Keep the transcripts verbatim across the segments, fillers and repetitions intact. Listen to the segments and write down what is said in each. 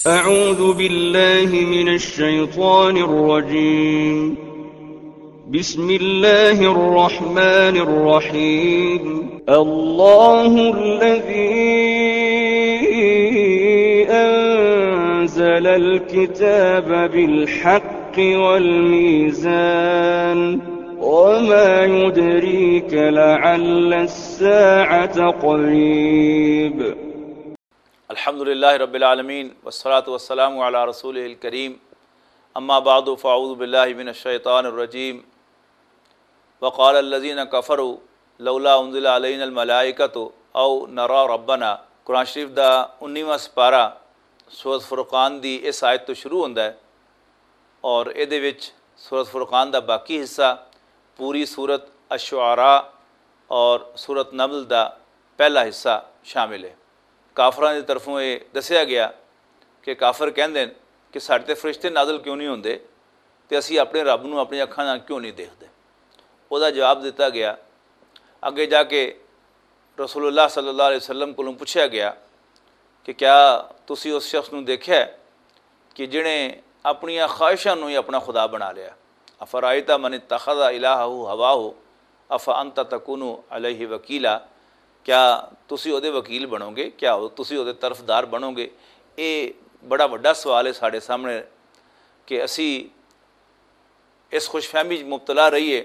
أعوذ بالله من الشيطان الرجيم. بسم الله الرحمن الرحيم. الله الذي أنزل الكتاب بالحق والميزان. وما يدريك لعل الساعة قريب. الحمد لله رب العالمين، والصلاة والسلام على رسوله الكريم. أما بعد، فأعوذ بالله من الشيطان الرجيم. وقال الذين كفروا لولا أنزل علينا الملائكة أو نرى ربنا۔ قرآن شریف دا انیواں سپارہ سورۃ فرقان دی اس آیت تو شروع ہوندا ہے، اور اے دے وچ سورۃ فرقان دا باقی حصہ، پوری سورۃ الشعراء اور سورۃ نمل دا پہلا حصہ شامل ہے۔ کافراں دی طرفوں اے دسیا گیا کہ کافر کہندے نے کہ ساڈے تے فرشتے نازل کیوں نہیں ہوندے، تے اسی اپنے رب نوں اپنی اکھاں نال کیوں نہیں دیکھدے؟ او دا جواب دتا گیا۔ اگے جا کے رسول اللہ صلی اللہ علیہ وسلم کولوں پوچھیا گیا کہ کیا تسی اس شخص نوں دیکھیا ہے کہ جنہیں اپنیاں خواہشاں نوں ہی اپنا خدا بنا لیا؟ افرائیت من اتخذ الہہ ہواہ افانت تکون علیہ وکیلا؟ کیا تسی او دے وکیل بنو گے؟ کیا او، تسی او دے طرفدار بنو گے؟ اے بڑا وڈا سوال ہے ساڈے سامنے کہ اسی اس خوش فہمی وچ مبتلا رہیے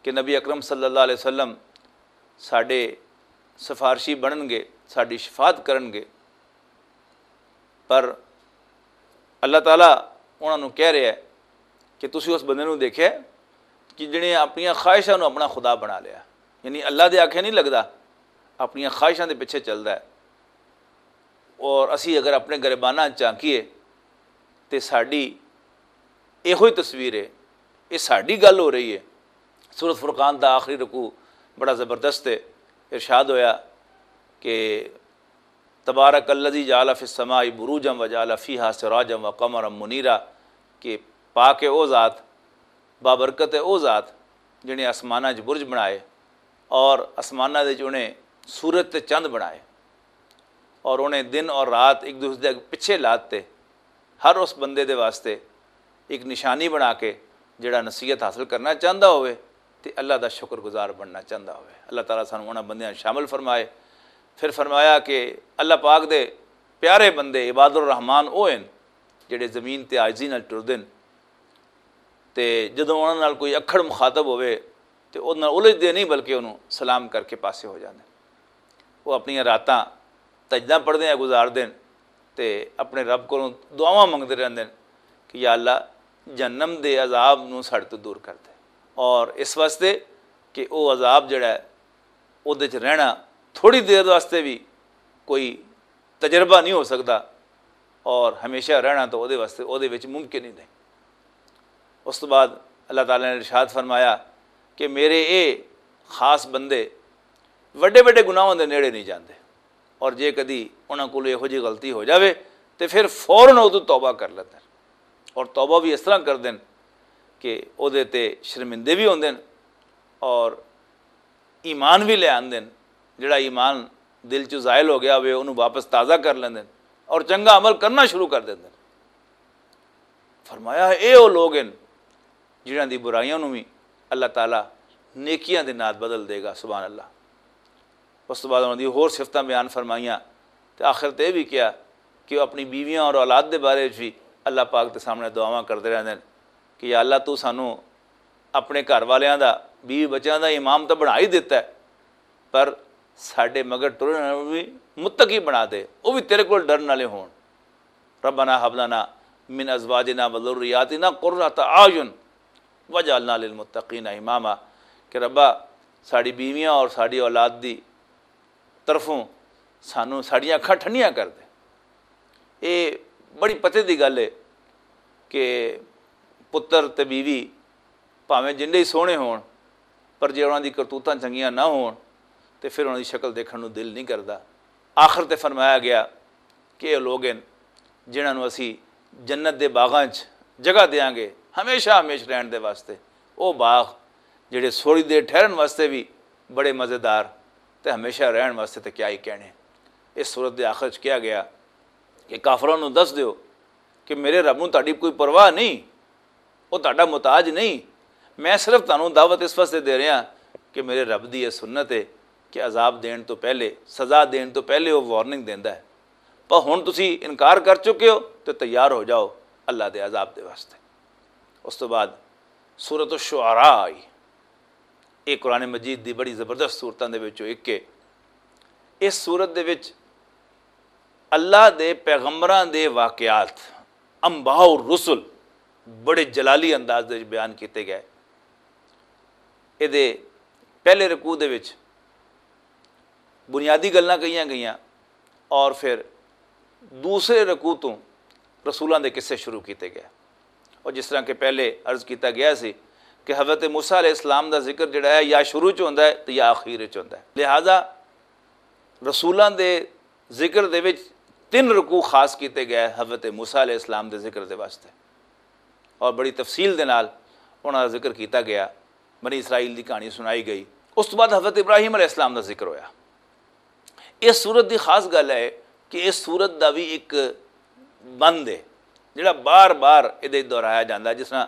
کہ نبی اکرم صلی اللہ علیہ وسلم ساڈے سفارشی بنن گے، ساڈی شفاعت کرن گے، پر اللہ تعالیٰ انہاں نوں کہہ رہا ہے کہ تسی اس بندے نوں دیکھیا ہے کہ جنہیں اپنیاں خواہشاں نوں اپنا خدا بنا لیا، یعنی اللہ دے آکھے نہیں لگدا، اپنیاں خواہشاں دے پیچھے چلدا ہے۔ اور اسی اگر اپنے گریباناں جھانکیے تے ساڈی ایہو ہی تصویر ہے، یہ ساڈی گل ہو رہی ہے۔ سورۃ فرقان دا آخری رکوع بڑا زبردست ہے۔ ارشاد ہویا کہ تبارک الذی جعل فی السماء بروجا وجعل فیہا سراجا وقمرا منیرا، کہ پاک ہے او ذات، بابرکت ہے او ذات، جنہیں آسماناں 'چ برج بنائے اور آسماناں دے 'چ انہیں سورج تے چند بنائے، اور انہیں دن اور رات ایک دوسرے دے پچھے لات تے ہر اس بندے دے واسطے ایک نشانی بنا کے، جڑا نصیحت حاصل کرنا چاہندا ہوئے تے اللہ دا شکر گزار بننا چاہندا ہوئے۔ اللہ تعالیٰ سانوں انہاں بندیاں شامل فرمائے۔ پھر فرمایا کہ اللہ پاک دے پیارے بندے عباد الرحمان او ہن جڑے زمین تے عاجزی نال ٹردن، تے جدوں انہاں نال کوئی اکھڑ مخاطب ہوئے تے او نال الجھدے نہیں، بلکہ انہوں سلام کر کے پاسے ہو جاندے۔ وہ اپنی راتاں تجدہ پڑھدے ہیں گزار دین، تے اپنے رب کولوں دعاواں منگدے رہندے ہیں کہ یا اللہ، جہنم دے عذاب نوں ساڈے تو دور کر دے۔ اور اس واسطے کہ او عذاب جڑا ہے، اودے چ رہنا تھوڑی دیر واسطے بھی کوئی تجربہ نہیں ہو سکدا، اور ہمیشہ رہنا تو اودے واسطے، اودے وچ ممکن ہی نہیں۔ اس تو بعد اللہ تعالیٰ نے ارشاد فرمایا کہ میرے اے خاص بندے وڈے وڈے گناہوں دے نیڑے نہیں جاندے، اور جے کدی انہاں کولوں یہو جی غلطی ہو جاوے تے پھر فوراً او تو توبہ کر لیندے، اور توبہ بھی اس طرح کر دین کہ اودے تے شرمندے بھی ہوندے، اور ایمان بھی لے آندے۔ جڑا ایمان دل چ زائل ہو گیا ہوئے، انہوں واپس تازہ کر لیندے اور چنگا عمل کرنا شروع کر دیندے۔ فرمایا، اے او لوگ ہیں جنہاں دی برائیاں نوں بھی اللہ تعالیٰ نیکیاں دے نال بدل دے گا۔ سبحان اللہ۔ اس تو بعد انہاں دی ہور صفتاں بیان فرمائیاں، تے آخر تے یہ بھی کہا کہ وہ اپنی بیویاں اور اولاد دے بارے وچ بھی اللہ پاک دے سامنے دعاواں کردے رہندے ہیں کہ یا اللہ، تو سانوں اپنے گھر والیاں دا، بیوی بچیاں دا امام تاں بنا ہی دتا ہے، پر ساڈے مگر ٹرن والے بھی متقی بنا دے، وہ بھی تیرے کول ڈرن والے ہون۔ ربنا ہب لنا من ازواجنا و ذریاتنا قرۃ اعین واجعلنا للمتقین اماما، کہ ربا، ساڈی بیویاں اور ساڈی اولاد دی طرفوں سانوں ساڈیاں اکھاں ٹھنڈیاں کر دے۔ اے بڑی پتے دی گل ہے کہ پتر تے بیوی بھاویں جنڈے ہی سوہنے ہون، پر جے انہاں دی کرتوتاں چنگیاں نہ ہون، تے پھر انہاں دی شکل دیکھن نوں دل نہیں کردا۔ آخر تے فرمایا گیا کہ اے لوگ ہیں جنہاں نوں اسی جنت دے باغاں 'چ جگہ دیاں گے ہمیشہ ہمیش رہن دے واسطے۔ او باغ جڑے تھوڑی دیر ٹھہرن واسطے بھی بڑے مزیدار، تے ہمیشہ رہن واسطے تے کیا ہی کہنے۔ اس سورت دے آخر 'چ کہا گیا کہ کافراں نوں دس دیو کہ میرے رب نوں تہاڈی کوئی پرواہ نہیں، وہ تہاڈا محتاج نہیں۔ میں صرف تہانوں دعوت اس واسطے دے رہا کہ میرے رب دی یہ سنت ہے کہ عذاب دین تو پہلے، سزا دین تو پہلے وہ وارننگ دیندا ہے۔ پر ہن تسی انکار کر چکے ہو، تے تیار ہو جاؤ اللہ دے عذاب دے واسطے۔ اس تو بعد سورۃ الشعراء آئی۔ یہ قرآن مجید دی بڑی زبردست صورتاں دے وچوں ایک ہے۔ اس صورت دے وچ اللہ دے پیغمبراں دے واقعات، انباء الرسل، بڑے جلالی انداز دے وچ بیان کیتے گئے۔ یہ دے پہلے رکوع دے وچ بنیادی گلاں کہیاں گئیاں، اور پھر دوسرے رکوع تو رسولاں دے قصے شروع کیتے گئے۔ اور جس طرح کہ پہلے عرض کیتا گیا سی کہ حضرت موسیٰ علیہ السلام دا ذکر جڑا ہے، یا شروع چ ہوندا ہے تے یا آخر چ ہوندا ہے۔ لہذا رسولاں دے ذکر دے وچ تین رکوع خاص کیتے گئے حضرت موسیٰ علیہ السلام دے ذکر دے واسطے، اور بڑی تفصیل دے نال انہاں دا ذکر کیتا گیا۔ بنی اسرائیل دی کہانی سنائی گئی۔ اس تو بعد حضرت ابراہیم علیہ السلام دا ذکر ہویا۔ اس سورت دی خاص گل ہے کہ اس سورت دا بھی ایک بند ہے جڑا بار بار ادے دہرایا جاندا ہے، جس طرح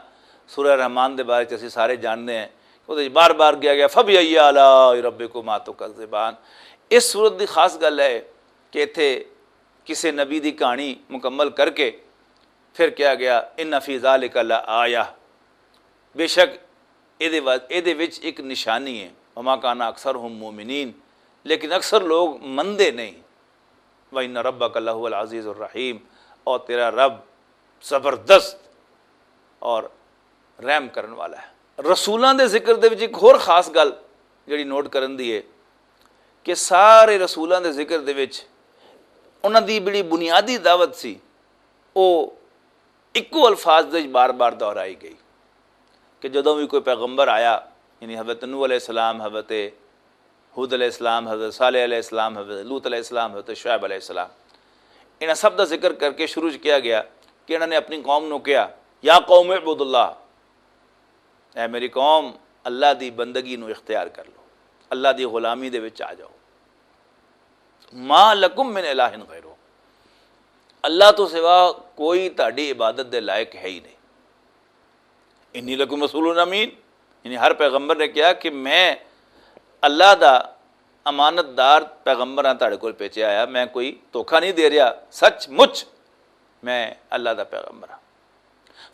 سورہ رحمان دے بارے چ اسی سارے جاننے ہیں، وہ بار بار گیا گیا، فبی ای آلاء ربکما تکذبان۔ اس سورت دی خاص گل ہے کہ اتھے کسے نبی دی کہانی مکمل کر کے پھر کہا گیا، ان فی ذالک لآیہ، بے شک اے دے وا-، اے دے وچ ایک نشانی ہے۔ وما کان اکثرہم مؤمنین، لیکن اکثر لوگ مندے نہیں۔ وان ربک لہو العزیز الرحیم، اور تیرا رب زبردست اور رحم کرن والا ہے۔ رسولاں دے ذکر دے وچ ایک ہور خاص گل جڑی نوٹ کرن دی ہے کہ سارے رسولاں دے ذکر دے وچ انہاں دی بڑی بنیادی دعوت سی، او اکو الفاظ دے وچ بار بار دہرائی گئی کہ جدوں بھی کوئی پیغمبر آیا، یعنی حضرت نوح علیہ السلام، حضرت ہود علیہ السلام، حضرت صالح علیہ السلام، حضرت لوط علیہ السلام، حضرت شعیب علیہ السلام، انہاں سب دا ذکر کر کے شروع کیا گیا کہ انہاں نے اپنی قوم نو کہا، یا قوم اعبدوا اللہ، اے میری قوم، اللہ دی بندگی نو اختیار کر لو، اللہ دی غلامی دے وچ آ جاؤ۔ ما لکم من الہ غیرہ، اللہ تو سوا کوئی تہاڈی عبادت دے لائق ہے ہی نہیں۔ انی لکم رسول امین، یعنی ہر پیغمبر نے کہا کہ میں اللہ دا امانت دار پیغمبر ہاں، تہاڈے کول بھیجیا آیا، میں کوئی دھوکا نہیں دے رہا، سچ مچ میں اللہ دا پیغمبر ہاں۔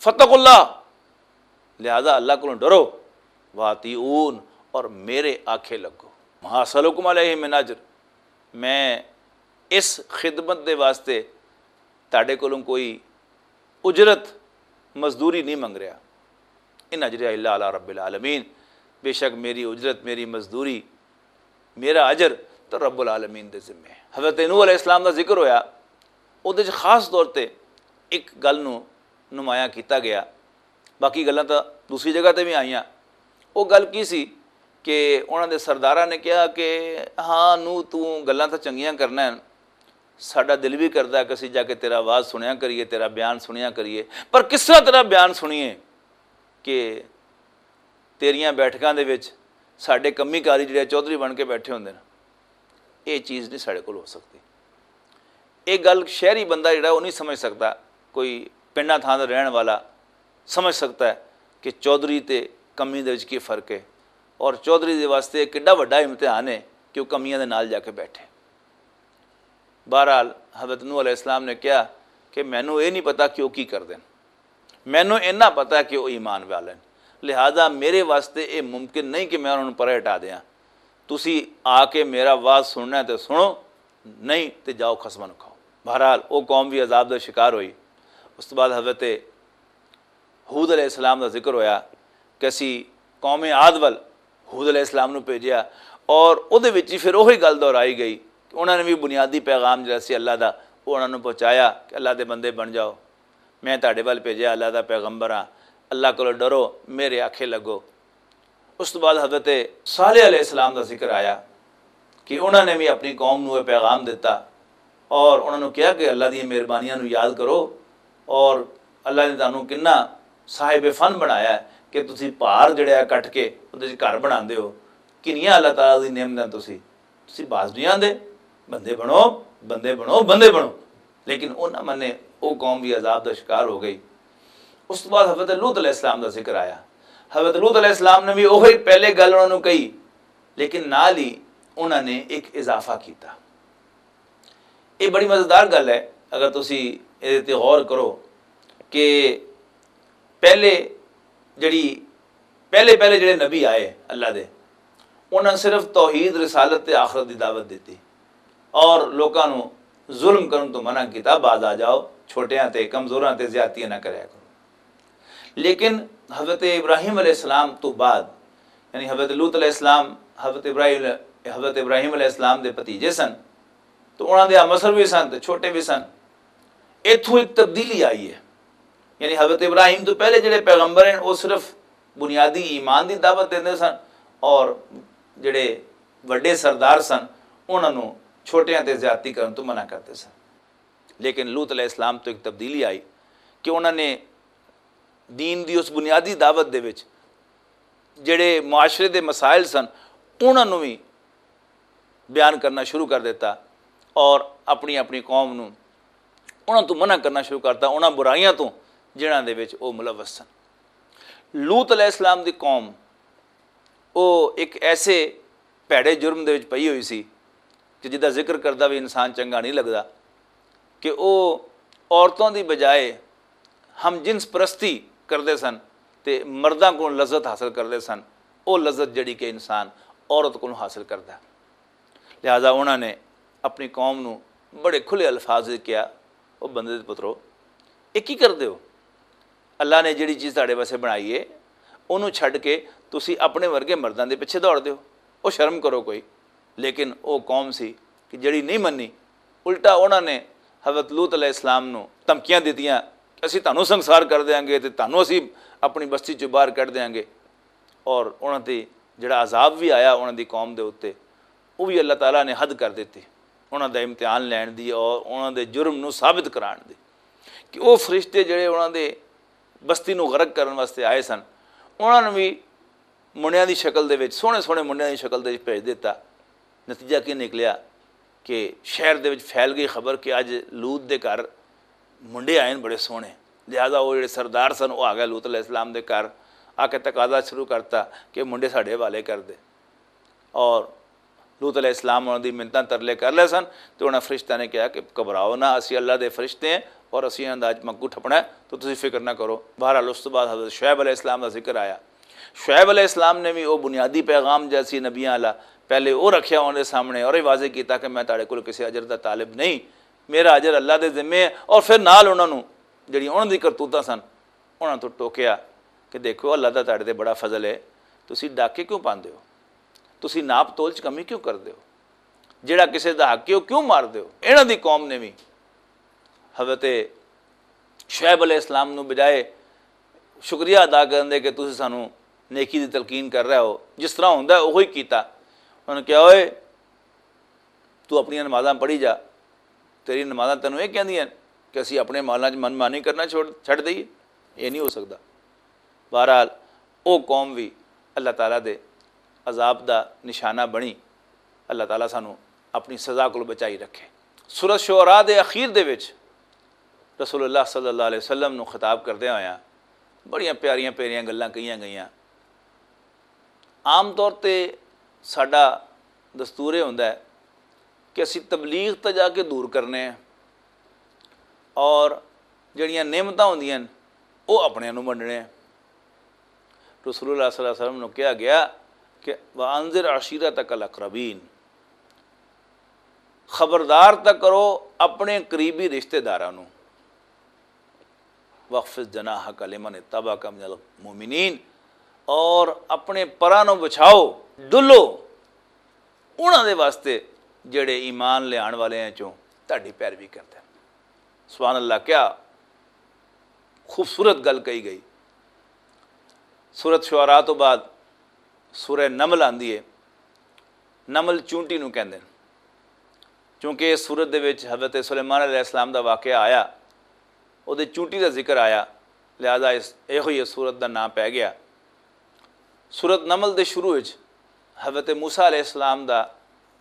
فتقوا اللہ، لہذا اللہ کو ڈرو، واطیعون، اور میرے آکھے لگو۔ ما اسألکم علیہ من اجر، میں اس خدمت دے واسطے تہاڈے کولوں کوئی اجرت، مزدوری نہیں منگ رہا۔ ان اجری الا علی رب العالمین، بے شک میری اجرت، میری مزدوری، میرا اجر تو رب العالمین دے ذمے ہے۔ حضرت نوح علیہ السلام دا ذکر ہویا، اودے وچ خاص طور تے ایک گل نو نمایاں کیتا گیا، باقی گلاں تاں دوسری جگہ تے وی آئیاں۔ او گل کی سی کہ انہاں دے سرداراں نے کہا کہ ہاں نوح، توں گلاں تاں چنگیاں کرنا ہے، ساڈا دل وی کردا ہے کہ اسی جا کے تیرا آواز سنیا کریے، تیرا بیان سنیا کریے، پر کس طرح تیرا بیان سنیے کہ تیریاں بیٹھکاں دے وچ ساڈے کمی کاری جڑے چودھری بن کے بیٹھے ہوندے نے، یہ چیز نہیں ساڈے کول ہو سکتی۔ یہ گل شہری بندہ جڑا وہ نہیں سمجھ سکتا، کوئی پنڈا تھاں دا رہن والا سمجھ سکتا ہے کہ چودھری تے کمی دے وچ کی فرق ہے، اور چودھری دے واسطے یہ کڈا وڈا امتحان ہے کہ وہ کمیاں دے نال جا کے بیٹھے۔ بہرحال، حضرت نوح علیہ السلام نے کہا کہ مینوں یہ نہیں پتا کہ وہ کی کردے نے، مینوں اینا پتا کہ وہ ایمان والے نے، لہذا میرے واسطے یہ ممکن نہیں کہ میں انہوں پرے ہٹا دیاں۔ تسی آ کے میرا واز سننا ہے تے سنو، نہیں تے جاؤ خصماں نوں کھاؤ۔ بہرحال، وہ قوم بھی عذاب دا شکار ہوئی۔ اس تو بعد حضرت ہود علیہ السلام دا ذکر ہویا کہ اسی قوم عاد ول ہود علیہ السلام نوں بھیجیا، اور اودے وچ ہی پھر وہی گل دہرائی گئی کہ انہاں نے بھی بنیادی پیغام جڑا سی اللہ دا، وہ انہاں نوں پہنچایا کہ اللہ دے بندے بن جاؤ، میں تہاڈے ول بھیجیا اللہ دا پیغمبر ہاں، اللہ کولوں ڈرو، میرے آکھے لگو۔ اس تو بعد حضرت صالح علیہ السلام دا ذکر آیا کہ انہاں نے بھی اپنی قوم نوں یہ پیغام دتا اور انہاں نوں کہا کہ اللہ دی مہربانیاں نوں یاد کرو، اور اللہ نے تانوں کنا صاحب فن بنایا ہے کہ تسی پہاڑ جڑے آ کٹ کے اودے وچ گھر بناندے ہو۔ کنیاں اللہ تعالیٰ دی نعمتاں تسی، تسی باز نہیں آندے۔ بندے بنو، بندے بنو، بندے بنو۔ لیکن انہاں منے، وہ قوم بھی عذاب دا شکار ہو گئی۔ اس تو بعد حضرت لوط علیہ السلام دا ذکر آیا۔ حضرت لوط علیہ السلام نے بھی وہی پہلے گل انہاں نوں کہی، لیکن نال ہی انہاں نے ایک اضافہ کیتا۔ یہ بڑی مزیدار گل ہے۔ اگر تسی اس تے غور کرو کہ پہلے جڑی پہلے پہلے جڑے نبی آئے اللہ دے، انہاں صرف توحید، رسالت تے آخرت دی دعوت دتی اور لوکاں نوں ظلم کرن تو منع کیتا، باز آ جاؤ، چھوٹیاں تے کمزوراں تے زیادتیاں نہ کریا کرو۔ لیکن حضرت ابراہیم علیہ السلام تو بعد، یعنی حضرت لوط علیہ السلام، حضرت ابراہیم حضرت ابراہیم علیہ السلام دے بھتیجے سن، تو انہاں دے مصر بھی سن تے چھوٹے بھی سن۔ ایتھوں ایک تبدیلی آئی ہے۔ یعنی حضرت ابراہیم تو پہلے جڑے پیغمبر ہیں، وہ صرف بنیادی ایمان دی دعوت دیندے سن، اور جڑے وڈے سردار سن، انہاں نوں چھوٹیاں تے زیادتی کرن تو منع کردے سن۔ لیکن لوط علیہ السلام تو ایک تبدیلی آئی کہ انہاں نے دین دی اس بنیادی دعوت دے وچ جڑے معاشرے دے مسائل سن، انہاں نوں بھی بیان کرنا شروع کر دیتا، اور اپنی اپنی قوم نوں انہاں تو منع کرنا شروع کرتا، انہاں برائیاں تو جنہاں دے وچ او ملوث سن۔ لوط علیہ السلام دی قوم او ایک ایسے بھڑے جرم دے وچ پئی ہوئی سی کہ جدا ذکر کردا بھی انسان چنگا نہیں لگدا، کہ او عورتوں دی بجائے ہم جنس پرستی کردے سن تے مرداں کولوں لذت حاصل کردے سن، او لذت جڑی کہ انسان عورت کولوں حاصل کردا۔ لہذا انہاں نے اپنی قوم نوں بڑے کھلے الفاظ وچ کہیا، او بندے دے پترو، یہ کی کردے ہو؟ اللہ نے جڑی چیز تہاڈے واسطے بنائی ہے، اونوں چھڈ کے تسی اپنے ورگے مرداں دے پیچھے دوڑدے ہو۔ او شرم کرو کوئی۔ لیکن او قوم سی کہ جڑی نہیں منی، الٹا انہاں نے حضرت لوط علیہ السلام نوں دھمکیاں دتیاں کہ اسی تانوں سنسار کر دیاں گے تے تانوں اسی اپنی بستی چوں باہر کڈ دیاں گے۔ اور انہاں تے جڑا عذاب بھی آیا انہاں دی قوم دے اُتے، وہ بھی اللہ تعالیٰ نے حد کر دتی۔ انہاں دا امتحان لین دی اور انہاں دے جرم نوں ثابت کران دی کہ وہ فرشتے جڑے انہاں دے بستی نوں غرق کرن واسطے آئے سن، انہاں نوں بھی منڈیاں دی شکل دے وچ، سوہنے سوہنے منڈیاں دی شکل دے وچ بھیج دتا۔ نتیجہ کی نکلیا کہ شہر دے وچ پھیل گئی خبر کہ اج لوط دے گھر منڈے آئے نے بڑے سوہنے۔ لہذا وہ جڑے سردار سن، وہ آ گئے لوط علیہ السلام دے گھر، آ کے تقاضا شروع کرتا کہ منڈے ساڈے حوالے کر دے۔ اور لوط علیہ السلام انہاں دی منتاں ترلے کر لے سن، تے انہاں فرشتیاں نے کہا کہ گھبراؤ نہ، اسی اللہ دے فرشتے ہیں اور اسی انہاں دا اج منکو ٹھپنا ہے، تو تسی فکر نہ کرو۔ بہرحال، اس تو بعد حضرت شعیب علیہ السلام دا ذکر آیا۔ شعیب علیہ السلام نے بھی وہ بنیادی پیغام جیسی نبیاں والا پہلے وہ رکھیا انہاں دے سامنے اور یہ واضح کیتا کہ میں تہاڈے کول کسی اجر دا طالب نہیں، میرا اجر اللہ دے ذمے ہے۔ اور پھر نال انہاں نوں جڑی انہاں دی کرتوتاں سن، انہاں تو ٹوکیا کہ دیکھو، اللہ دا تہاڈے تے بڑا فضل ہے، تسی ڈاکے کیوں پاندے ہو؟ تسی ناپ تول چ کمی کیوں کردے ہو؟ جڑا کسے دا حق ہے، وہ کیوں مار دے ہو؟ انہاں دی قوم نے بھی حضرت شعیب علیہ السلام نو بجائے شکریہ ادا کرن دے کہ تسی سانو نیکی دی تلقین کر رہے ہو، جس طرح ہوندا ہے، اوہی کیتا۔ انہوں نے کہا، اوئے، تو اپنی نمازاں پڑھی جا، تیری نمازاں تینوں یہ کہندیاں کہ اسی اپنے مالاں چ من مانی کرنا چھوڑ، چھڈ دئیے؟ یہ نہیں ہو سکدا۔ بہرحال، او قوم بھی اللہ تعالیٰ دے عذاب دا نشانہ بنی۔ اللہ تعالیٰ سانو اپنی سزا کول بچائی رکھے۔ سورۃ شعراء دے اخیر دے وچ رسول اللہ صلی اللہ علیہ وسلم نو خطاب کردے ہویا بڑیاں پیاریاں پیاریاں گلاں کہیاں گئیاں۔ عام طور تے ساڈا دستور یہ ہوندا ہے کہ اسی تبلیغ تے جا کے دور کرنے ہیں اور جڑیاں نعمتاں ہوندیاں نے، وہ اپنے نوں ونڈنے ہیں۔ رسول اللہ صلی اللہ علیہ وسلم نوں کہا گیا کہ وَأَنذِرْ عَشِيرَتَكَ الْأَقْرَبِينَ، خبردار تک کرو اپنے قریبی رشتہ داراں نوں۔ وَاخْفِضْ جَنَاحَكَ لِمَنِ اتَّبَعَكَ مِنَ الْمُؤْمِنِينَ، اور اپنے پراں نوں بچھاؤ، ڈلو انہاں دے واسطے جڑے ایمان لے آن والے ہیں چوں تہاڈی پیروی کردے ہیں۔ سبحان اللہ، کیا خوبصورت گل کہی گئی۔ سورۃ شعراء تو بعد سورہ نمل آندی ہے۔ نمل چونٹی نوں کہندے نے، کیونکہ اس سورت دے وچ حضرت سلیمان علیہ السلام دا واقعہ آیا، او دے چونٹی دا ذکر آیا، لہذا اس، ایہو ہی اس سورت دا نام پے گیا۔ سورت نمل دے شروع وچ حضرت موسیٰ علیہ السلام دا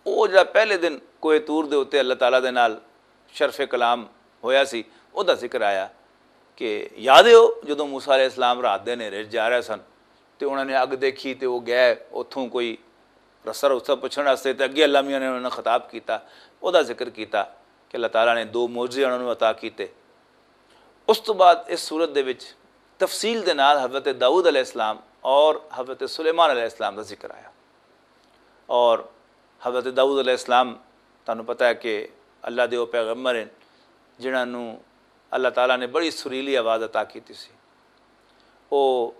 او جڑا پہلے دن کوہ طور دے اُتے اللہ تعالیٰ دے نال شرف کلام ہویا سی، او دا ذکر آیا کہ یاد ہے او جدوں موسیٰ علیہ السلام رات دے ہنیرے 'چ جا رہے سن تے انہاں نے اگ دیکھی تے او گئے اتھوں کوئی رسا رسا پچھن واسطے تے اگے اللہ میاں نے انہاں نوں خطاب کیتا، او دا ذکر کیتا کہ اللہ تعالیٰ نے دو معجزے انہاں نوں عطا کیتے۔ اس تو بعد اس صورت دے وچ تفصیل دے نال حضرت داؤد علیہ السلام اور حضرت سلیمان علیہ السلام دا ذکر آیا۔ اور حضرت داؤد علیہ السلام، تانوں پتہ ہے کہ اللہ دے او پیغمبر ہیں جنہاں نوں اللہ تعالیٰ نے بڑی سریلی آواز عطا کیتی سی۔ او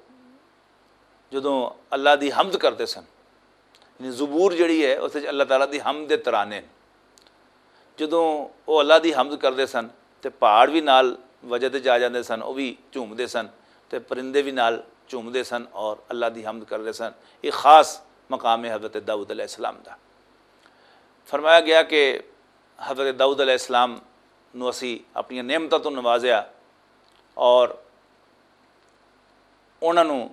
جدوں اللہ دی حمد کردے سن، یعنی زبور جڑی ہے اس وچ اللہ تعالیٰ دی حمد دے ترانے نے۔ جدوں او اللہ دی حمد کردے سن تے پہاڑ وی نال وجہ تے جا جاندے سن، او وی جھومدے سن تے پرندے وی نال جھومدے سن اور اللہ دی حمد کردے سن۔ یہ خاص مقام ہے حضرت داؤد علیہ السلام دا۔ فرمایا گیا کہ حضرت داؤد علیہ السلام نو اسی اپنی نعمتاں تو نوازیا اور انہاں نوں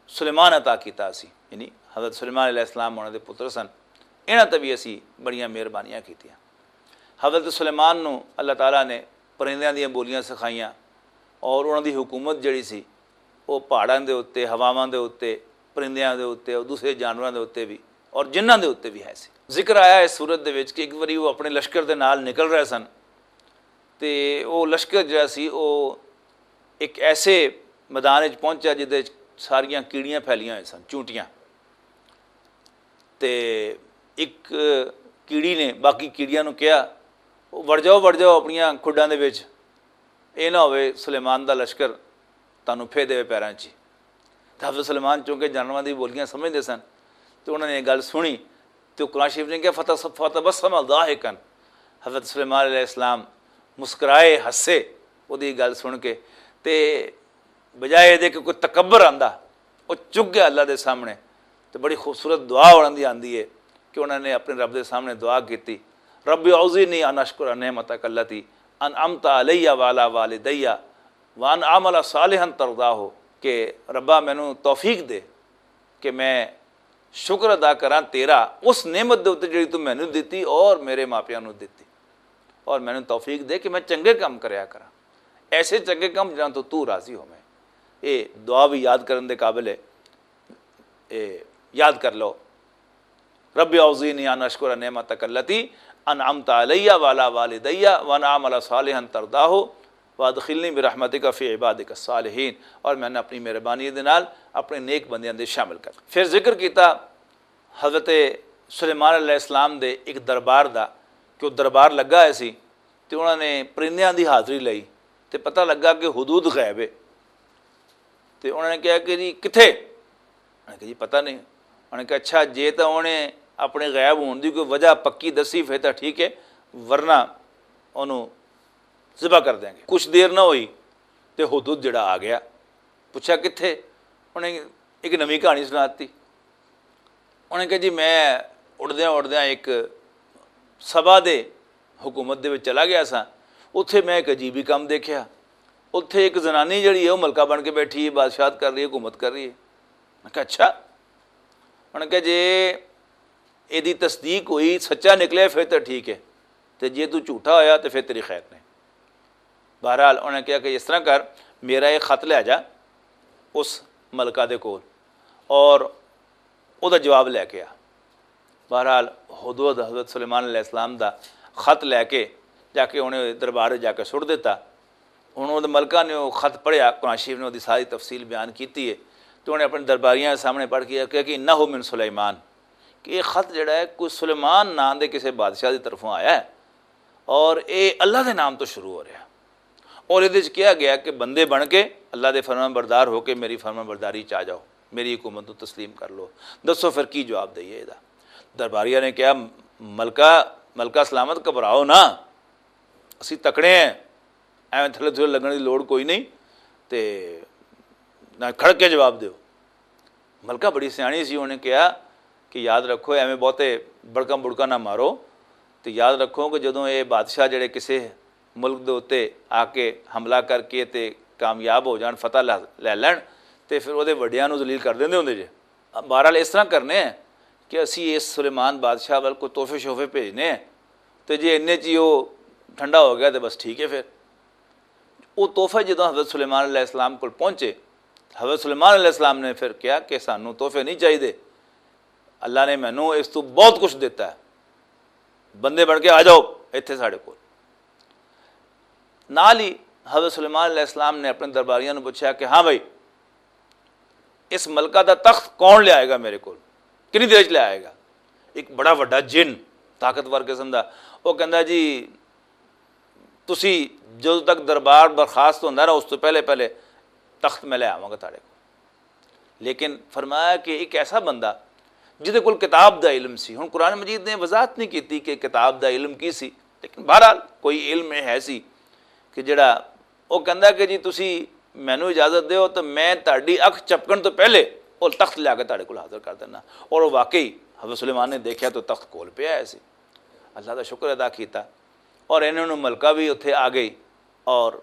سلیمان عطا کیتا سی، یعنی حضرت سلیمان علیہ السلام انہاں دے پتر سن۔ انہاں تے بھی اسی بڑیاں مہربانیاں کیتیاں۔ حضرت سلیمان نوں اللہ تعالیٰ نے پرندیاں دیاں بولیاں سکھائیاں اور انہاں دی حکومت جڑی سی وہ پہاڑاں دے اُتے، ہواواں دے اُتے، پرندیاں دے اُتے اور دوسرے جانوراں دے اُتے بھی اور جنہاں دے اُتے بھی ہے سی۔ ذکر آیا اس صورت دے وچ کہ ایک واری وہ اپنے لشکر دے نال نکل رہے سن تے وہ لشکر جڑا سی وہ ایک ایسے میدان وچ پہنچا جدے وچ ساریاں کیڑیاں پھیلیاں ہوئے سن، چونٹیاں۔ تے ایک کیڑی نے باقی کیڑیاں نوں کہیا، "وڑ جاؤ، وڑ جاؤ اپنیاں کھڈاں دے وچ، اے نہ ہوئے سلیمان دا لشکر تانوں پھے دے پیراں چ۔" تے حضرت سلیمان چونکہ جانوراں دی بولیاں سمجھدے سن تے انہاں نے یہ گل سنی تے قرآن شریف نے کہا، "فتبسم ضاحکا۔" حضرت سلیمان علیہ السلام مسکرائے، ہسے، وہ دی گل سن کے۔ تے بجائے دے کہ کوئی تکبر آندا، وہ چک گیا اللہ دے سامنے۔ تے بڑی خوبصورت دعا انہاں دی آندی ہے کہ انہاں نے اپنے رب دے سامنے دعا کیتی، "رب اوزعنی ان اشکر نعمتک التی انعمت علی وعلی والدی وان اعمل صالحا ترضاہ۔" کہ ربا مینوں توفیق دے کہ میں شکر ادا کراں تیرا اس نعمت دے اُتے جڑی تو مینوں دتی اور میرے ماپیاں نوں دتی، اور مینوں توفیق دے کہ میں چنگے کام کریا کراں، ایسے چنگے کام جنہاں تو تو راضی ہوویں۔ یہ دعا بھی یاد کرن دے قابل ہے۔ اے یاد کر لو، "رب اوزعنی ان اشکر نعمتک التی انعمت علی وعلی والدی وان اعمل صالحا ترضاہ وادخلنی برحمتک فی عبادک الصالحین۔" اور میں نے اپنی مہربانی دے نال اپنے نیک بندیاں دے شامل کر۔ پھر ذکر کیتا حضرت سلیمان علیہ السلام دے ایک دربار دا، کہ وہ دربار لگا ہویا سی تے انہاں نے پرندیاں دی حاضری لئی تے پتہ لگا کہ حدود غیب ہے۔ تے انہاں نے کہا کہ جی کتھے؟ انہاں نے کہا جی پتہ نہیں۔ انہاں نے کہا اچھا جے تاں انہیں اپنے غیب ہون دی کوئی وجہ پکی دسی پھر تاں ٹھیک ہے، ورنہ انہوں ذبح کر دیں گے۔ کچھ دیر نہ ہوئی تے حدود جڑا آ گیا۔ پوچھا کتھے؟ انہیں ایک نویں کہانی سنا دتی۔ انہاں نے کہا جی میں اڑدیاں اڑدیاں ایک سبا دے حکومت دے وچ چلا گیا سا۔ اتھے میں ایک عجیبی کام دیکھیا۔ اتھے ایک زنانی جڑی ہے وہ ملکہ بن کے بیٹھی ہے، بادشاہت کر رہی ہے، حکومت کر رہی ہے۔ میں کہا اچھا؟ انہاں نے کہا جے ایدی تصدیق ہوئی، سچا نکلے پھر تے ٹھیک ہے، تے جے تو جھوٹا ہویا تے پھر تیری خیر نہیں۔ بہرحال انہاں نے کہا کہ اس طرح کر، میرا ایک خط لے جا اس ملکہ دے کول اور او دا جواب لے کے آ۔ بہرحال ہدہد حضرت سلیمان علیہ السلام دا خط لے کے جا کے انہیں دربار جا کے سٹ دیتا۔ ہن او ملکہ نے او خط پڑھیا، قرآن شریف نے او دی ساری تفصیل بیان کیتی ہے۔ تو انہیں اپنے درباریاں دے سامنے پڑھ کے کہا کہ انہ من سلیمان، کہ یہ خط جڑا ہے کوئی سلیمان نام دے کسے بادشاہ دی طرفوں آیا ہے اور اے اللہ دے نام تو شروع ہو رہا ہے۔ اور ادھے وچ کہا گیا کہ بندے بن کے اللہ دے فرمان بردار ہو کے میری فرمان برداری چ آ جاؤ، میری حکومت نوں تسلیم کر لو۔ دسو پھر کی جواب دئیے ادا؟ درباریاں نے کہا، ملکہ، ملکہ سلامت، گھبراؤ نہ، اسی تکڑے ہیں، ایویں تھلے تھلے لگن دی لوڑ کوئی نہیں، تے نہ کھڑ کے جواب دیو۔ ملکہ بڑی سیانی سی، انہیں کہا کہ یاد رکھو، ایویں بہتے بڑکاں بڑکاں نہ مارو، تے یاد رکھو کہ جدوں یہ بادشاہ جڑے کسے ملک دے اُتے آ کے حملہ کر کے تے کامیاب ہو جان، فتح لے لین، تے پھر اودے وڈیاں نوں ذلیل کر دیندے ہوندے جے۔ بہرحال اس طرح کرنے ہیں کہ اسی اس سلیمان بادشاہ ول کوئی تحفے شوفے بھیجنے ہیں، تے جے انہیں چ ہی او ٹھنڈا ہو گیا تو بس ٹھیک ہے۔ پھر وہ تحفے جدوں حضرت سلیمان علیہ السلام کو پہنچے، حضرت سلیمان علیہ السلام نے پھر کیا کہ سانوں تحفے نہیں چاہیے، اللہ نے مینوں اس تو بہت کچھ دیتا ہے، بندے بن کے آ جاؤ اتھے ساڑے کول۔ نال ہی حضرت سلیمان علیہ السلام نے اپنے درباریاں نوں پوچھا کہ ہاں بھائی، اس ملکہ دا تخت کون لے آئے گا میرے کول؟ کنی دیر چ لے آئے گا؟ ایک بڑا وڈا جن، طاقتور قسم دا، وہ کہندا جی، تسی جدوں تک دربار برخاست ہوندا نا، اس تو پہلے پہلے تخت میں لے آواں گا تہاڈے کول۔ لیکن فرمایا کہ ایک ایسا بندہ جدے کول کتاب دا علم سی۔ ہن قرآن مجید نے وضاحت نہیں کیتی کہ کتاب دا علم کی سی، لیکن بہرحال کوئی علم ہے سی کہ جڑا، وہ کہندا کہ جی تسی مینوں اجازت دیو تو میں تہاڈی اکھ چپکن تو پہلے وہ تخت لیا کے تہاڈے کول حاضر کر دینا۔ اور وہ واقعی حضرت سلیمان نے دیکھیا تو تخت کول پیا ہے سی۔ اللہ دا شکر ادا کیتا اور انہوں نے ملکہ بھی اتھے آ گئی۔ اور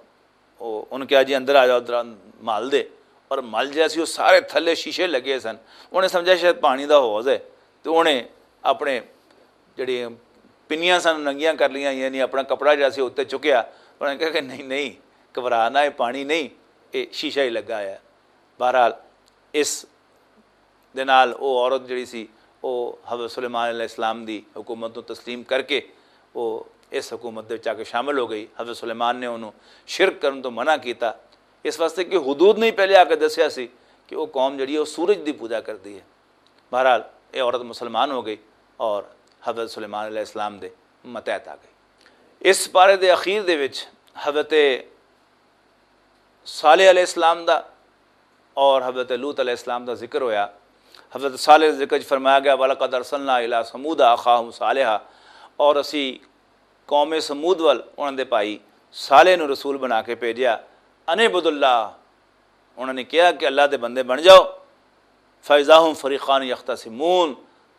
وہ انہوں کہا جی اندر آ جاؤ، ادھر مال دے۔ اور مال جہا سی وہ سارے تھلے شیشے لگے سن۔ انہیں سمجھا شاید پانی دا حوض ہے، تو انہیں اپنے جڑی پنیاں سن ننگیاں کر لیاں، یعنی اپنا کپڑا جہا سی اتنے چکیا۔ انہوں نے کہا کہ نہیں نہیں، گھبرا نہ، یہ پانی نہیں، یہ شیشہ ہی لگا ہے۔ بہرحال، اس دے نال او عورت جڑی سی، او حضرت سلیمان علیہ السلام دی حکومت نوں تسلیم کر کے او اس حکومت دے وچ آ کے شامل ہو گئی۔ حضرت سلیمان نے انہوں شرک کرن تو منع کیتا، اس واسطے کہ حدود نہیں پہلے آ کے دسیا سی کہ وہ قوم جڑی ہے وہ سورج دی پوجا کردی ہے۔ بہرحال، یہ عورت مسلمان ہو گئی اور حضرت سلیمان علیہ السلام دے متحت آ گئی۔ اس پارے دے اخیر دے وچ حضرت صالح علیہ السلام دا اور حضرت لوط علیہ السلام دا ذکر ہویا۔ حضرت صالح دے ذکر چ فرمایا گیا، "وَلَقَدْ أَرْسَلْنَا إِلَىٰ ثَمُودَ أَخَاهُمْ صَالِحًا"، اور اسی قوم سمود ول انہاں دے بھائی صالح نوں رسول بنا کے بھیجیا۔ "أَنِ اعْبُدُوا اللَّهَ"، انہاں نے کہا کہ اللہ دے بندے بن جاؤ۔ فَإِذَا هُمْ فَرِيقَانِ يَخْتَصِمُونَ،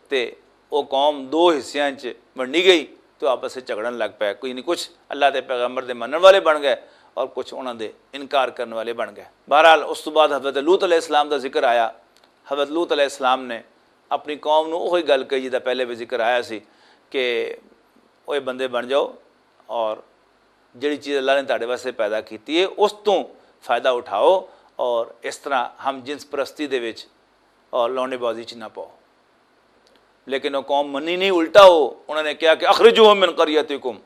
تے او قوم دو حصیاں چ ونڈی گئی، تو آپس وچ جھگڑن لگ پئے۔ کوئی نہیں، کچھ اللہ دے پیغمبر دے منن والے بن گئے اور کچھ انہاں دے انکار کرن والے بن گئے۔ بہرحال، اس تو بعد حضرت لوط علیہ السلام دا ذکر آیا۔ حضرت لوط علیہ السلام نے اپنی قوم نوں وہی گل کہی جس دا پہلے بھی ذکر آیا سی کہ اوے بندے بن جاؤ اور جڑی چیز اللہ نے تہاڈے واسطے پیدا کیتی ہے، اس تو فائدہ اٹھاؤ اور اس طرح ہم جنس پرستی دے وچ اور لونڈے بازی چ نہ پاؤ۔ لیکن وہ قوم منی نہیں، الٹا ہو، انہوں نے کہا کہ "اخرجوہم من قریتکم"۔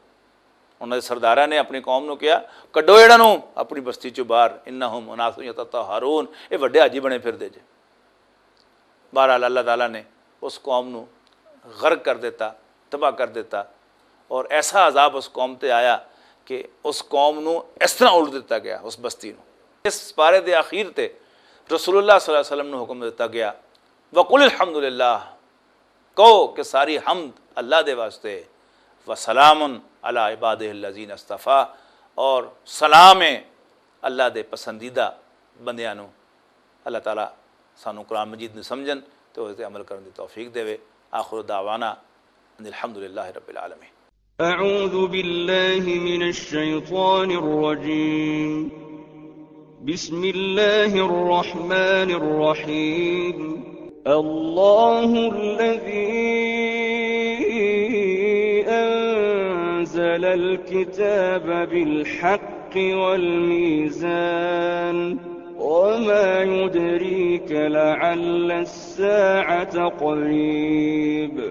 انہوں نے سرداراں نے اپنی قوم نو کہا، "کڈو انہاں نو اپنی بستی چوں باہر، انہم اناس یتطہرون، یہ وڈے حاجی بنے پھر دے جے۔" بہرحال، اللہ تعالیٰ نے اس قوم نو غرق کر دیتا، تباہ کر دیتا، اور ایسا عذاب اس قوم تے آیا کہ اس قوم نو اس طرح الٹ دیتا گیا، اس بستی نو۔ اس پارے دے آخر تے رسول اللہ صلی اللہ علیہ وسلم نو حکم دیتا گیا، "وقل الحمدللہ"، کہو کہ ساری حمد اللہ دے واسطے، "وسلام علی عبادہ الذین اصطفیٰ"، اور سلام ہے اللہ دے پسندیدہ بندیاں نو۔ اللہ تعالیٰ سانو قرآن مجید نو سمجھن تے اس تے عمل کرن دی توفیق دے۔ آخر دعوانا ان الحمدللہ رب العالمین۔ اعوذ باللہ من الشیطان الرجیم۔ بسم الله الرحمن الرحيم۔ الله الذي أنزل الكتاب بالحق والميزان، وما يدريك لعل الساعة قريب۔